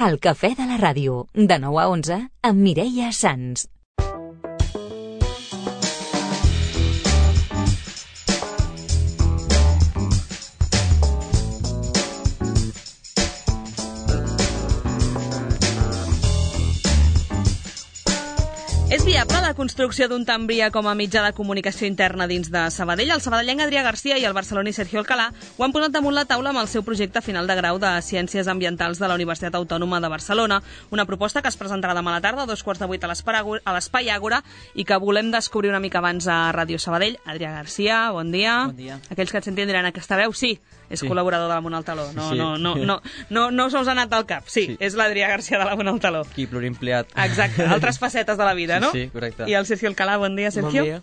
El cafè de la ràdio, de 9 a 11, amb Mireia Sans. És viable la construcció d'un tramvia com a mitjà de comunicació interna dins de Sabadell? El sabadellenc Adrià Garcia i el barceloní Sergio Alcalá ho han posat damunt la taula amb el seu projecte final de grau de Ciències Ambientals de la Universitat Autònoma de Barcelona, una proposta que es presentarà demà a la tarda a 7:15 a l'Espai Àgora i que volem descobrir una mica abans a Ràdio Sabadell. Adrià Garcia, bon dia. Bon dia. Aquells que et sentin diran aquesta veu, sí, és col·laborador de l'Amunt al Taló. No se us ha anat al cap. Sí, és l'Adrià Garcia de l'Amunt al Taló. Qui pluriempleat. Exacte, altres facetes de la vida, no? Sí, correcte. I el Sergio Alcalá, bon dia, Sergio. Bon dia.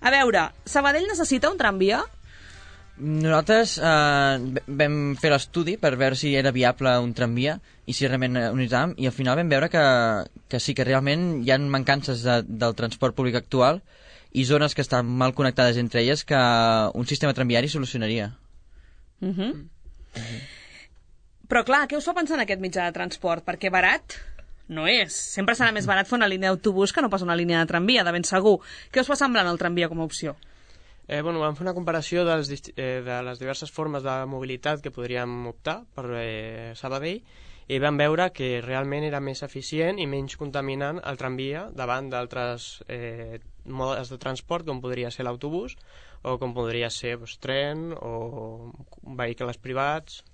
A veure, Sabadell necessita un tramvia? Nosaltres vam fer l'estudi per veure si era viable un tramvia i si realment ho necessitàvem, i al final vam veure que sí, que realment hi ha mancances del transport públic actual i zones que estan mal connectades entre elles que un sistema tramviari solucionaria. Però clar, què us fa pensar en aquest mitjà de transport? Perquè barat no és. Sempre serà més barat fer una línia d'autobús que no pas una línia de tramvia, de ben segur. Què us fa semblant el tramvia com a opció? Vam fer una comparació de les diverses formes de mobilitat que podríem optar per Sabadell i vam veure que realment era més eficient i menys contaminant el tramvia davant d'altres modes de transport, com podria ser l'autobús o com podria ser tren o vehicles privats.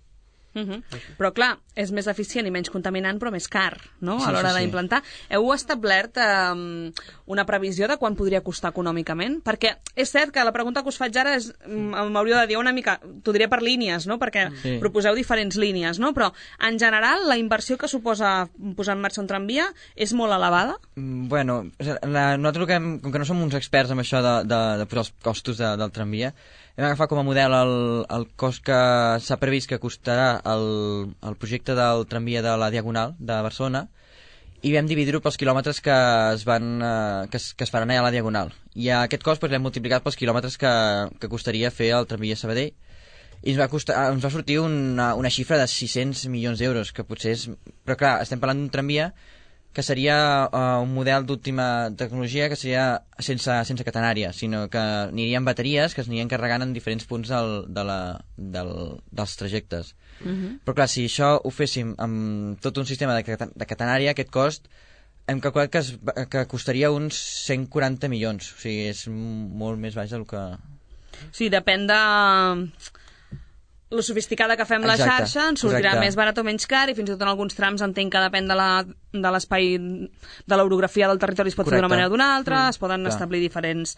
Però clar, és més eficient i menys contaminant, però més car, no? Sí, a l'hora sí. d'implantar. Heu establert una previsió de quan podria costar econòmicament? Perquè és cert que la pregunta que us faig ara m'hauríeu de dir una mica, t'ho diré per línies, no? Perquè proposeu diferents línies, no? Però en general la inversió que suposa posar en marxa un tramvia és molt elevada? Bueno, nosaltres com que no som uns experts en això de posar els costos del tramvia, hem agafat com a model el cost que s'ha previst que costarà el projecte del tramvia de la Diagonal de Barcelona i vam dividir-ho pels quilòmetres que es faran allà a la Diagonal. I aquest cost l'hem multiplicat pels quilòmetres que costaria fer el tramvia Sabadell i ens va sortir una xifra de 600 milions d'euros, que potser és... Però clar, estem parlant d'un tramvia que seria un model d'última tecnologia que seria sense catenària, sinó que aniria amb bateries que es anirien carregant en diferents punts dels trajectes. Però clar, si això ho féssim amb tot un sistema de catenària, aquest cost hem calculat que costaria uns 140 milions. O sigui, és molt més baix del que... Sí, depèn de lo sofisticada que fem la xarxa, ens sortirà més barat o menys car, i fins i tot en alguns trams entenc que depèn de l'espai, de l'orografia del territori, es pot fer d'una manera o d'una altra, es poden establir diferents...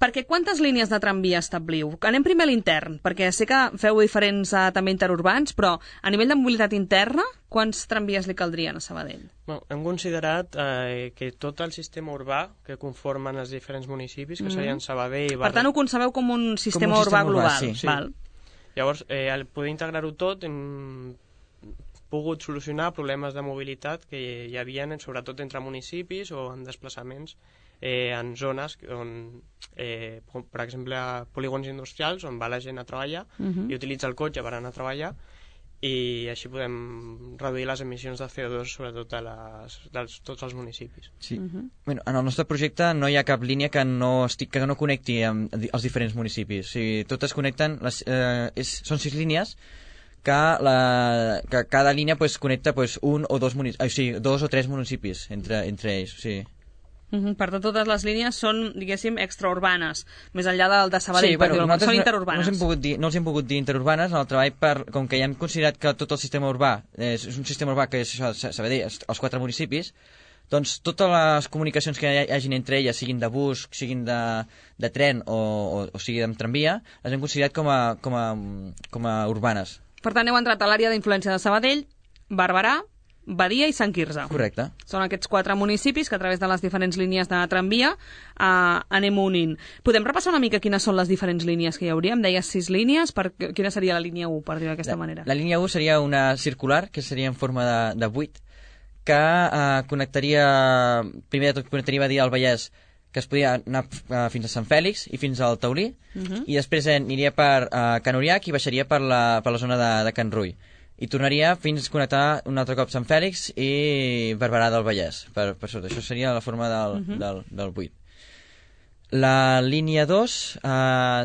Perquè quantes línies de tramvia establiu? Anem primer a l'intern, perquè sé que feu diferents també interurbans, però a nivell de mobilitat interna, quants tramvies li caldrien a Sabadell? Hem considerat que tot el sistema urbà que conformen els diferents municipis, que serien Sabadell... Per tant, ho concebeu com un sistema urbà global. Sí. Val. Llavors, al poder integrar-ho tot, hem pogut solucionar problemes de mobilitat que hi havia, sobretot entre municipis o en desplaçaments en zones on, per exemple, polígons industrials, on va la gent a treballar i utilitza el cotxe per anar a treballar, i així podem reduir les emissions de CO2 sobretot de tots els municipis. Sí. Bueno, en el nostre projecte no hi ha cap línia que no connecti amb els diferents municipis. O sigui, totes connecten, són 6 línies que cada línia connecta un o dos municipis, o sigui, 2 o 3 municipis entre ells. O sigui. Per tant, totes les línies són, diguéssim, extraurbanes, més enllà del de Sabadell, són interurbanes. No els hem pogut dir interurbanes en el treball, com que ja hem considerat que tot el sistema urbà és un sistema urbà que és Sabadell, els 4 municipis, doncs totes les comunicacions que hi hagin entre elles, siguin de bus, siguin de tren o sigui de tramvia, les hem considerat com a urbanes. Per tant, heu entrat a l'àrea d'influència de Sabadell, Barberà, Badia i Sant Quirze. Correcte. Són aquests 4 municipis que a través de les diferents línies de tramvia anem unint. Podem repassar una mica quines són les diferents línies que hi hauria? Em deies 6 línies, quina seria la línia 1, per dir-ho d'aquesta manera? La línia 1 seria una circular, que seria en forma de 8, que connectaria, primer de tot connectaria Badia al Vallès, que es podia anar fins a Sant Fèlix i fins al Taulí, i després aniria per Can Uriach i baixaria per la zona de Can Rull. i tornaria fins a connectar un altre cop Sant Fèlix i Barberà del Vallès, per sota. Això seria la forma del 8. La línia 2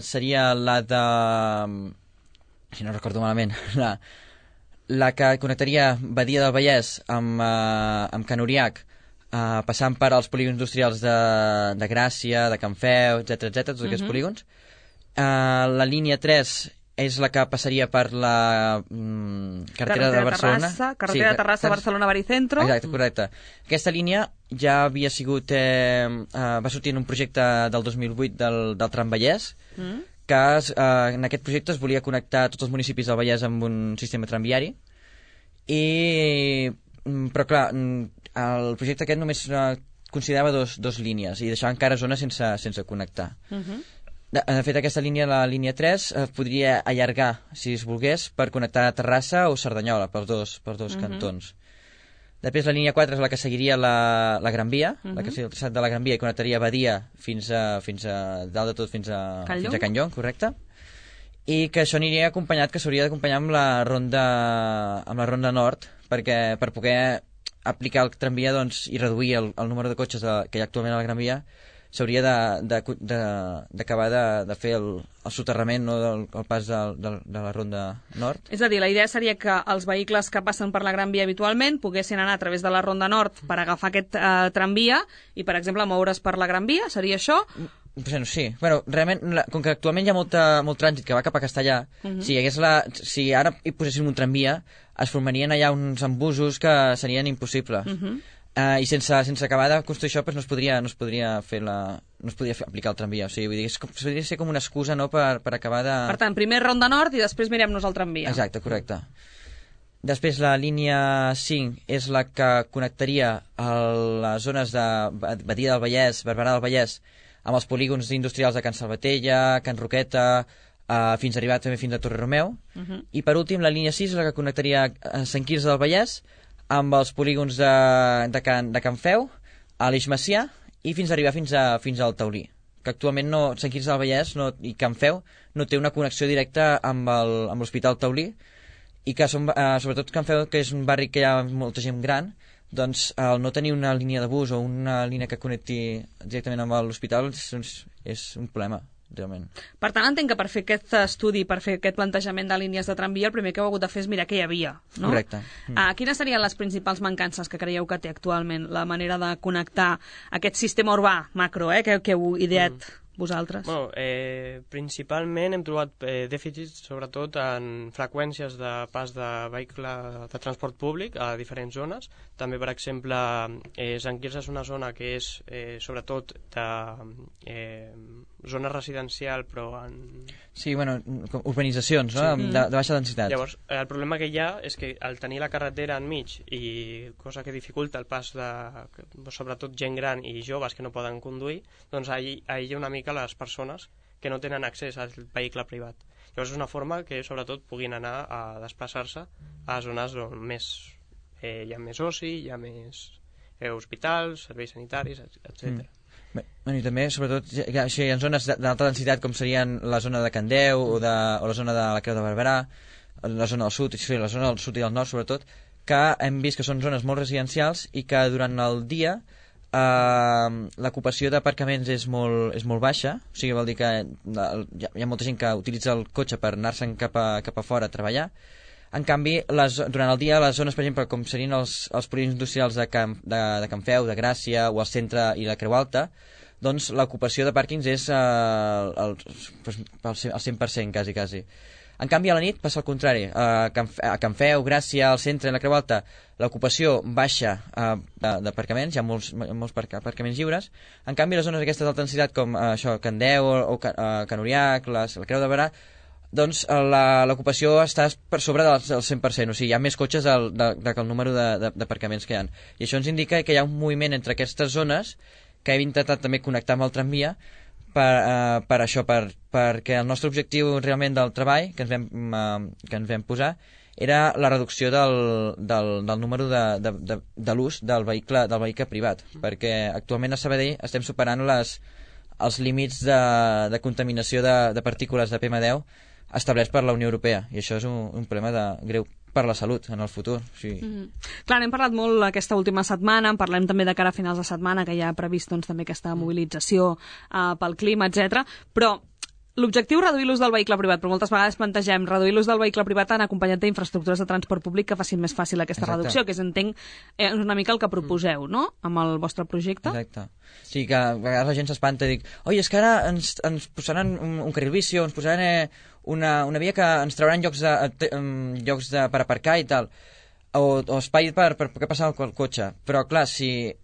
seria la de... si no recordo malament, la que connectaria Badia del Vallès amb Can Uriac, passant per als polígons industrials de Gràcia, de Can Feu, etc, tots aquests polígons. La línia 3 és la que passaria per la carretera de Barcelona. Carretera de Terrassa, Barcelona, Baricentro. Exacte, correcte. Aquesta línia ja havia sigut... va sortir en un projecte del 2008 del Tram Vallès, que en aquest projecte es volia connectar tots els municipis del Vallès amb un sistema tramviari, però clar, el projecte aquest només considerava dos línies i deixava encara zones sense connectar. De fet, aquesta línia, la línia 3, podria allargar, si es volgués, per connectar Terrassa o Cerdanyola, pels dos cantons. Després la línia 4 és la que seguiria la Gran Via, la que seguiria de la Gran Via i connectaria Badia fins a dalt de tot, fins a Can Llong, correcte. I que això aniria acompanyat, que s'hauria d'acompanyar amb la ronda nord, per poder aplicar el tramvia i reduir el número de cotxes que hi ha actualment a la Gran Via. S'hauria d'acabar de fer el soterrament, no, el pas de la ronda nord. És a dir, la idea seria que els vehicles que passen per la Gran Via habitualment poguessin anar a través de la ronda nord per agafar aquest tramvia i, per exemple, moure's per la Gran Via, seria això? Sí. Bueno, realment, com que actualment hi ha molt trànsit que va cap a Castellà, si ara hi poséssim un tramvia, es formarien allà uns embussos que serien impossibles. I sense acabar de construir això no es podria aplicar el tramvia. O sigui, vull dir, podria ser com una excusa, no, per acabar de... Per tant, primer ronda nord i després mirem-nos el tramvia. Exacte, correcte. Després la línia 5 és la que connectaria les zones de Badia del Vallès, Barberà del Vallès, amb els polígons industrials de Can Salvatella, Can Roqueta, fins a arribar també fins a Torre Romeu. I per últim, la línia 6 és la que connectaria Sant Quirze del Vallès amb els polígons de Can Feu, a l'Eix Macià, i fins a arribar fins al Taulí, que actualment Sant Quirze del Vallès i Can Feu no té una connexió directa amb l'Hospital Taulí, i que sobretot Can Feu, que és un barri que hi ha molta gent gran, doncs el no tenir una línia de bus o una línia que connecti directament amb l'hospital és un problema. Realment. Per tant, entenc que per fer aquest estudi, per fer aquest plantejament de línies de tramvia, el primer que heu hagut de fer és mirar què hi havia, no? Correcte. Quines serien les principals mancances que creieu que té actualment la manera de connectar aquest sistema urbà macro, que heu ideat vosaltres? Bueno, principalment hem trobat dèficits sobretot en freqüències de pas de vehicle de transport públic a diferents zones. També, per exemple, Sant Quirze és una zona que és sobretot de zona residencial, però en... Sí, bueno, urbanitzacions, no? Sí. De baixa densitat. Llavors, el problema que hi ha és que al tenir la carretera enmig, i cosa que dificulta el pas de, sobretot, gent gran i joves que no poden conduir, doncs aïlla una mica les persones que no tenen accés al vehicle privat. Llavors és una forma que, sobretot, puguin anar a desplaçar-se a zones on hi ha més oci, hi ha més hospitals, serveis sanitaris, etc. I també, sobretot, hi ha zones d'alta densitat com serien la zona de Candeu o la zona de la Creu de Barberà, la zona del sud, la zona del sud i del nord, sobretot, que hem vist que són zones molt residencials i que durant el dia l'ocupació d'aparcaments és molt baixa, o sigui, vol dir que hi ha molta gent que utilitza el cotxe per anar-se'n cap a fora a treballar. En canvi, durant el dia, les zones, per exemple, com serien els polígons industrials de Can Feu, de Gràcia, o el centre i la Creu Alta, doncs l'ocupació de pàrquings és al 100%, quasi. En canvi, a la nit passa el contrari. A Can Feu, Gràcia, al centre i la Creu Alta, l'ocupació baixa d'aparcaments, hi ha molts aparcaments lliures. En canvi, les zones aquestes d'alta densitat, com Can Deu o Can Uriac, la Creu de Barberà, doncs l'ocupació està per sobre del 100%, o sigui, hi ha més cotxes que el número d'aparcaments que hi ha. I això ens indica que hi ha un moviment entre aquestes zones que hem intentat també connectar amb el tramvia per això, perquè el nostre objectiu realment del treball que ens vam posar era la reducció del número de l'ús del vehicle privat, perquè actualment a Sabadell estem superant els límits de contaminació de partícules de PM10 establerts per la Unió Europea, i això és un problema greu per la salut en el futur. Sí. Clar, n'hem parlat molt aquesta última setmana, en parlem també de cara a finals de setmana, que hi ha previst doncs, també aquesta mobilització pel clima, etc. Però l'objectiu és reduir l'ús del vehicle privat, però moltes vegades plantegem reduir l'ús del vehicle privat en acompanyat d'infraestructures de transport públic que facin més fàcil aquesta reducció, que entenc una mica el que proposeu, no?, amb el vostre projecte. Exacte. Sí, que a vegades la gent s'espanta i dic, oi, és que ara ens posaran un carril bici o ens posaran una via que ens trauran llocs per aparcar i tal, o espai per poder passar el cotxe. Però, clar, si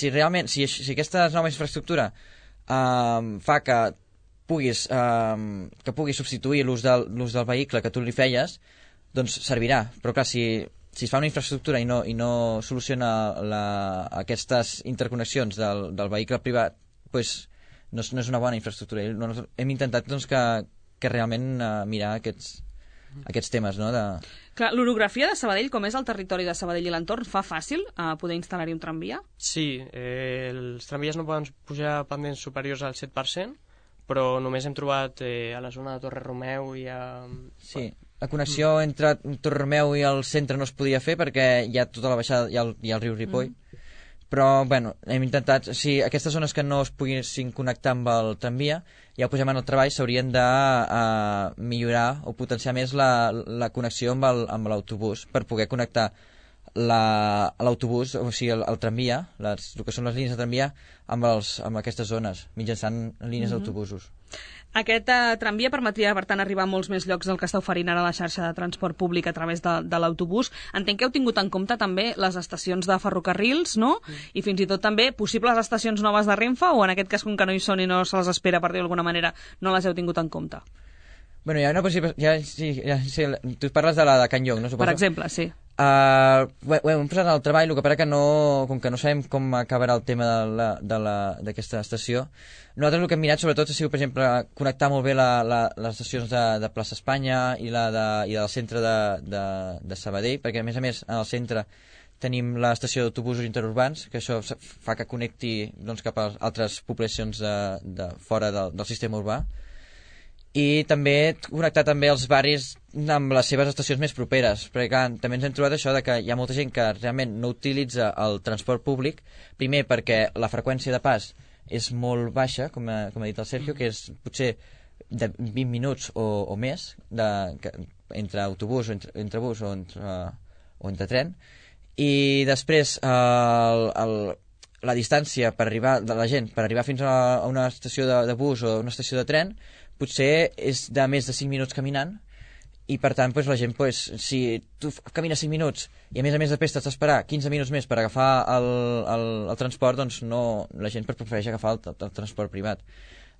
realment, si aquesta nova infraestructura fa que puguis substituir l'ús del vehicle que tu li feies, doncs servirà. Però clar, si es fa una infraestructura i no soluciona aquestes interconnexions del vehicle privat, doncs no és una bona infraestructura. Hem intentat doncs, que realment mirar aquests temes, no? Clar, l'orografia de Sabadell, com és el territori de Sabadell i l'entorn, fa fàcil poder instal·lar-hi un tramvia? Sí, els tramvies no poden pujar pendents superiors al 7%, però només hem trobat a la zona de Torre Romeu i a... Sí, la connexió entre Torre Romeu i el centre no es podia fer perquè hi ha tota la baixada, hi ha el riu Ripoll. Però, bueno, hem intentat... Si aquestes zones que no es poguessin connectar amb el tramvia, ja ho posem en el treball, s'haurien de millorar o potenciar més la connexió amb l'autobús per poder connectar l'autobús, o sigui, el tramvia, el que són les línies de tramvia, amb aquestes zones, mitjançant línies d'autobusos. Aquest tramvia permetria, per tant, arribar a molts més llocs del que està oferint ara la xarxa de transport públic a través de l'autobús. Entenc que heu tingut en compte també les estacions de ferrocarrils, no? I fins i tot també possibles estacions noves de Renfe, o en aquest cas, com que no hi són i no se les espera, per dir-ho d'alguna manera, no les heu tingut en compte? Bueno, hi ha una possible... tu parles de la de Can Llong, no? Suposo. Per exemple, sí. Ho hem posat al treball, el que passa que com que no sabem com acabarà el tema d'aquesta estació, nosaltres el que hem mirat sobretot ha sigut, per exemple, connectar molt bé les estacions de Plaça Espanya i del centre de Sabadell, perquè a més en el centre tenim l'estació d'autobusos interurbans, que això fa que connecti doncs, cap a altres poblacions de fora del sistema urbà, i també connectar també els barris amb les seves estacions més properes, perquè clar, també ens hem trobat això de que hi ha molta gent que realment no utilitza el transport públic, primer perquè la freqüència de pas és molt baixa, com ha dit el Sergio, que és potser de 20 minuts o més entre autobús o entre bus o entre tren, i després la distància per arribar de la gent per arribar fins a una estació de bus o una estació de tren potser és de més de 5 minuts caminant, i per tant la gent, si tu camines 5 minuts i a més després t'has d'esperar 15 minuts més per agafar el transport, doncs la gent prefereix agafar el transport privat.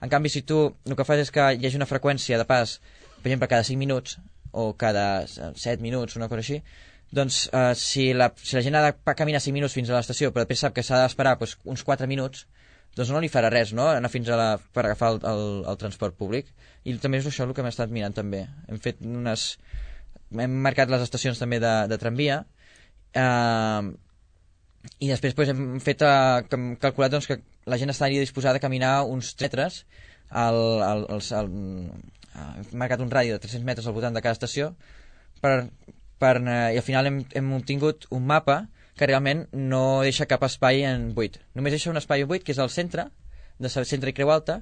En canvi, si tu el que fas és que hi hagi una freqüència de pas, per exemple, cada 5 minuts o cada 7 minuts, una cosa així, doncs si la gent ha de caminar 5 minuts fins a l'estació però després sap que s'ha d'esperar uns 4 minuts, doncs no li farà res, no?, anar fins per agafar el transport públic. I també és això el que hem estat mirant també. Hem marcat les estacions també de tramvia, i després hem calculat doncs, que la gent estaria disposada a caminar uns 3 metres, hem marcat un radi de 300 metres al voltant de cada estació, i al final hem obtingut un mapa que realment no deixa cap espai en buit. Només deixa un espai en buit, que és el centre i Creu Alta,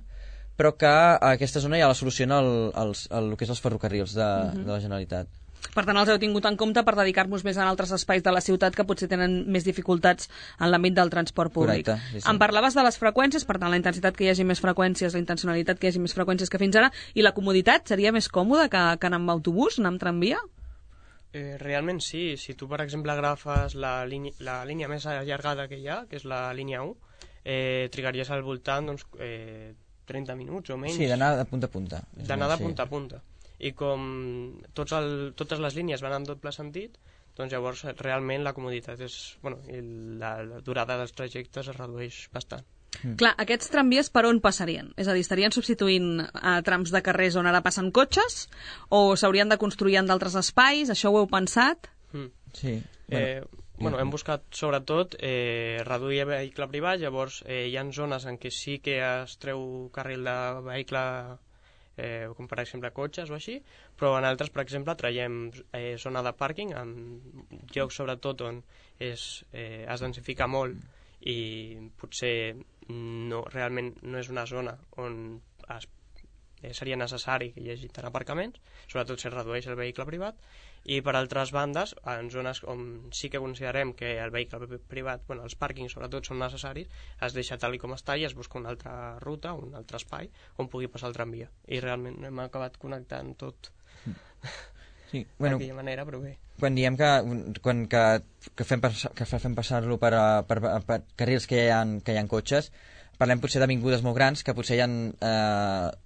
però que a aquesta zona ja la soluciona el que és els ferrocarrils de la Generalitat. Per tant, els heu tingut en compte per dedicar-vos més a altres espais de la ciutat que potser tenen més dificultats en l'àmbit del transport públic. Correcte, sí. Em parlaves de les freqüències, per tant, la intensitat que hi hagi més freqüències, la intencionalitat que hi hagi més freqüències que fins ara, i la comoditat seria més còmoda que anar amb autobús, anar amb tramvia? Realment sí. Si tu, per exemple, agafes la línia més allargada que hi ha, que és la línia 1, trigaries al voltant 30 minuts o menys. Sí, d'anar de punta a punta. D'anar de punta a punta. I com totes les línies van en doble sentit, doncs llavors realment la comoditat i la durada dels trajectes es redueix bastant. Clar, aquests tramvies per on passarien? És a dir, estarien substituint trams de carrers on ara passen cotxes, o s'haurien de construir en d'altres espais? Això ho heu pensat? Sí. Hem buscat sobretot reduir el vehicle privat, llavors hi ha zones en què sí que es treu carril de vehicle com per exemple cotxes o així, però en altres, per exemple, traiem zona de pàrquing en llocs sobretot on es densifica molt i potser realment no és una zona on seria necessari que hi hagi tant aparcaments, sobretot si es redueix el vehicle privat, i per altres bandes, en zones on sí que considerem que el vehicle privat, els pàrquings sobretot són necessaris, es deixa tal com està i es busca una altra ruta, un altre espai on pugui passar el tramvia. I realment hem acabat connectant tot sí, d'aquella manera, però bé. Quan diem que fem passar-lo per carrils que hi ha cotxes, parlem potser d'avingudes molt grans, que potser hi ha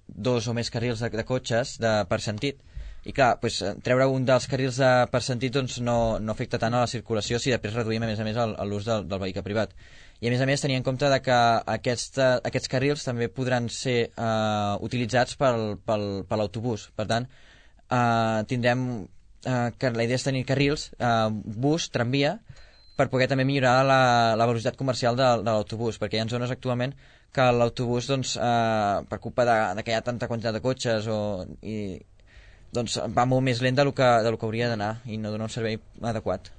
2 o més carrils de cotxes per sentit, i clar, treure un dels carrils per sentit no afecta tant a la circulació si després reduïm a més l'ús del vehicle privat. I a més tenir en compte que aquests carrils també podran ser utilitzats per l'autobús. Per tant, tindrem que la idea és tenir carrils, bus, tramvia, per poder també millorar la velocitat comercial de l'autobús, perquè hi ha zones actualment que l'autobús, per culpa que hi ha tanta quantitat de cotxes, va molt més lent del que hauria d'anar i no dona un servei adequat.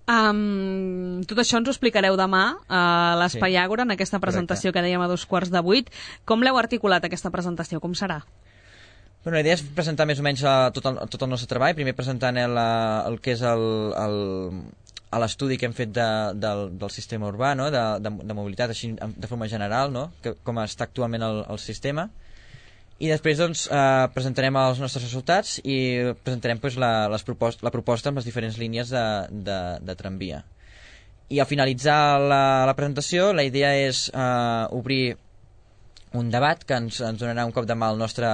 Tot això ens ho explicareu demà a l'Espai Àgora, en aquesta presentació que dèiem a 7:15. Com l'heu articulat, aquesta presentació? Com serà? La idea és presentar més o menys tot el nostre treball, primer presentant el que és l'estudi que hem fet del sistema urbà, no? de mobilitat, així de forma general, no? Com està actualment el sistema, i després presentarem els nostres resultats i presentarem la proposta amb les diferents línies de tramvia. I al finalitzar la presentació, la idea és obrir un debat que ens donarà un cop de mà al nostre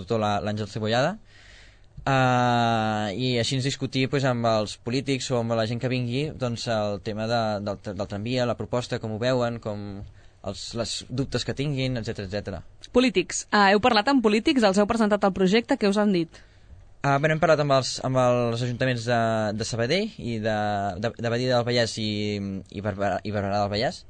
tutor, l'Àngel Cebollada, i així ens discutir amb els polítics o amb la gent que vingui el tema del tramvia, la proposta, com ho veuen, els dubtes que tinguin, etc. Polítics. Heu parlat amb polítics? Els heu presentat el projecte? Què us han dit? Hem parlat amb els ajuntaments de Sabadell i de Badia del Vallès i Barberà del Vallès.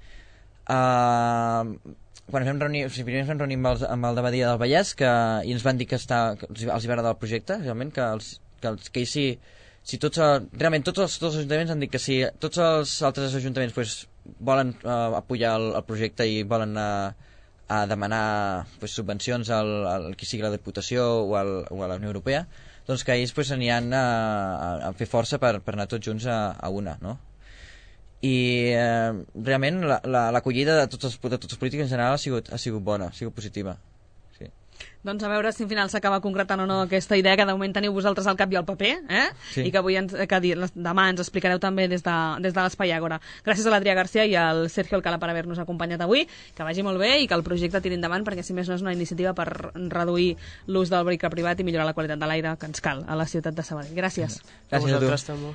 Quan primer ens vam reunir amb el de Badia del Vallès i ens van dir que els va agradar el projecte, realment, que si realment tots els ajuntaments han dit que si tots els altres ajuntaments volen apoyar el projecte i volen demanar subvencions al qui sigui la Diputació o a la Unió Europea, doncs que ells aniran a fer força per anar tots junts a una, no? I realment l'acollida de tots els polítics en general ha sigut bona, ha sigut positiva. Sí. Doncs a veure si al final s'acaba concretant o no aquesta idea que de moment teniu vosaltres al cap i al paper, sí. I que demà ens explicareu també des de l'Espai Àgora. Gràcies a l'Adrià García i al Sergio Alcalá per haver-nos acompanyat avui, que vagi molt bé i que el projecte tiri endavant, perquè si més no és una iniciativa per reduir l'ús del vehicle privat i millorar la qualitat de l'aire que ens cal a la ciutat de Sabadell. Gràcies. Gràcies a tu.